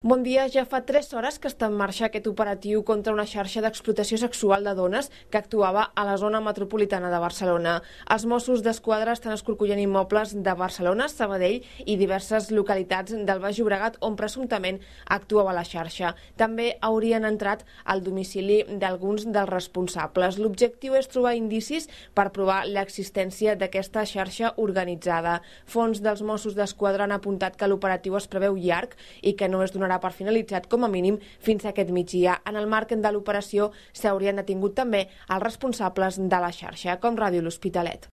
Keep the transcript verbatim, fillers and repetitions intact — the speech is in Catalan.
Bon dia, ja fa tres hores que està en marxa aquest operatiu contra una xarxa d'explotació sexual de dones que actuava a la zona metropolitana de Barcelona. Els Mossos d'Esquadra estan escorcollant immobles de Barcelona, Sabadell i diverses localitats del Baix Llobregat on presumptament actuava la xarxa. També haurien entrat al domicili d'alguns dels responsables. L'objectiu és trobar indicis per provar l'existència d'aquesta xarxa organitzada. Fonts dels Mossos d'Esquadra han apuntat que l'operatiu es preveu llarg i que no es donarà per finalitzat com a mínim fins a aquest migdia. En el marc de l'operació s'haurien detingut també els responsables de la xarxa, com Ràdio L'Hospitalet.